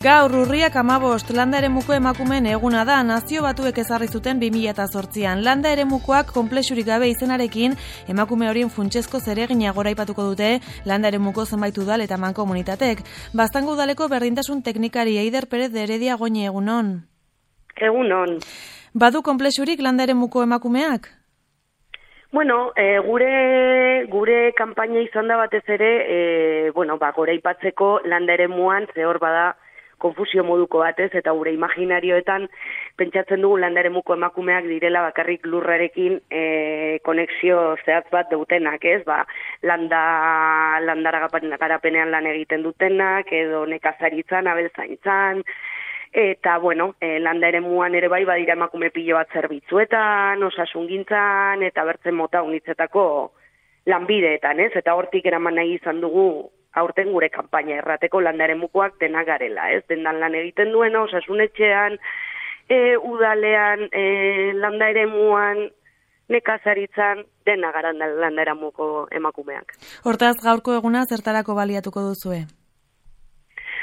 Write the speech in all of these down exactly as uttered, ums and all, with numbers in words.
Gaur urriak hamabost landa eremuko emakumeen eguna da, nazio batuek ezarri zuten bi mila zortzian. Landa eremukoak konplexurik gabe izenarekin emakume horien funtsezko zeregina goraipatuko dute landa eremuko zenbait udal eta mankomunitatek. Baztango udaleko berdintasun teknikari Eider Perez de Heredia Goñi, egunon. Egunon. Badu konplexurik landa eremuko emakumeak? Bueno, e, gure gure kanpaina izan da batez ere, e, bueno, ba, goraipatzeko landa eremuan zehor bada konfusio moduko batez, eta gure imaginarioetan pentsatzen dugu landa eremuko emakumeak direla bakarrik lurrarekin e, konexio zehatz bat dutenak, ez? Ba, landa, landara garapenean lan egiten dutenak, edo nekazaritzan, abeltzaintzan, eta, bueno, e, landa eremuan ere bai badira emakume pilo bat zerbitzuetan, osasungintzan, eta bertzen mota unitzetako lanbideetan, ez? Eta hortik eraman nahi izan dugu aurten gure kanpaina errateko landa eremukoak denak garela, ez? Dendan lan egiten duena, osasunetxean, e, udalean, e, landa eremuan, nekazaritzan, dena garan landa eremuko emakumeak. Hortaz, gaurko eguna zertarako baliatuko duzue?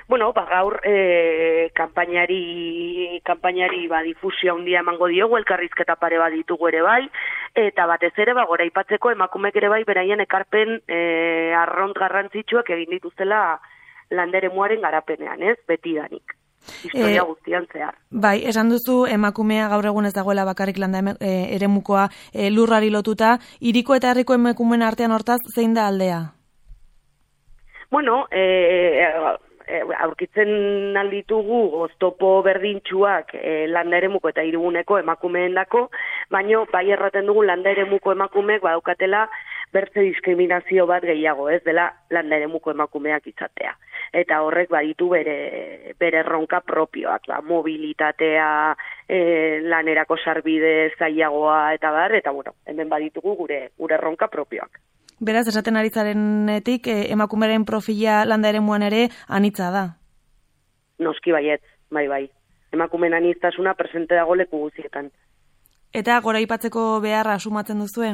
Bueno, ba, gaur e, kanpainari, kanpainari ba, difusio handia emango diogu, elkarrizketa pare bat ditugu ere bai, eta batez ere ba, goraipatzeko emakumek ere bai beraien ekarpen e, arront garrantzitsuak egin dituztela landa eremuaren garapenean, ez? Betidanik. Historia e, guztian zehar. Bai, esan duzu emakumea gaur egun ez dagoela bakarrik landa e, eremukoa e, lurrari lotuta, hiriko eta herriko emakumeen artean hortaz zein da aldea? Bueno, e, aurkitzen alditugu oztopo berdintsuak e, landa eremuko eta hiriguneko emakumeendako, baino bai erraten dugu landa eremuko emakumeek badaukatela bertze diskriminazio bat gehiago, ez dela landa eremuko emakumeak izatea. Eta horrek baditu bere bere erronka propioak, ba, mobilitatea, e, lanerako sarbide zailagoa eta bar, eta bueno, hemen baditugu gure gure erronka propioak. Beraz, esaten ari zarenetik, eh, emakumeren profila landa eremuan ere anitza da. Noski baietz, bai bai. Emakumen aniztasuna presente dago leku guztietan. Eta goraipatzeko beharra sumatzen duzue?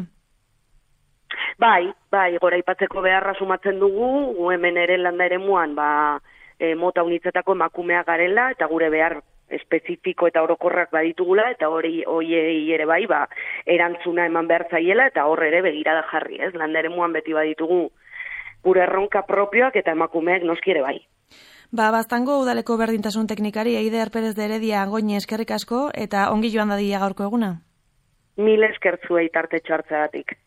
Bai, bai, goraipatzeko beharra sumatzen dugu, gu hemen ere landa eremuan, ba, e, mota unitzetako emakumea garela, eta gure behar espezifiko eta orokorrak baditugula, eta hori hoiei ere bai, ba, erantzuna eman behar zaiela, eta hor ere begirada jarri, ez? Landa eremuan beti baditugu gure erronka propioak eta emakumeek noski ere bai. Ba, Baztango udaleko berdintasun teknikari Eider Perez de Heredia Goñi, eskerrik asko, eta ongi joan dadila gaurko eguna. Mil eskertzuei tarte txartzeagatik.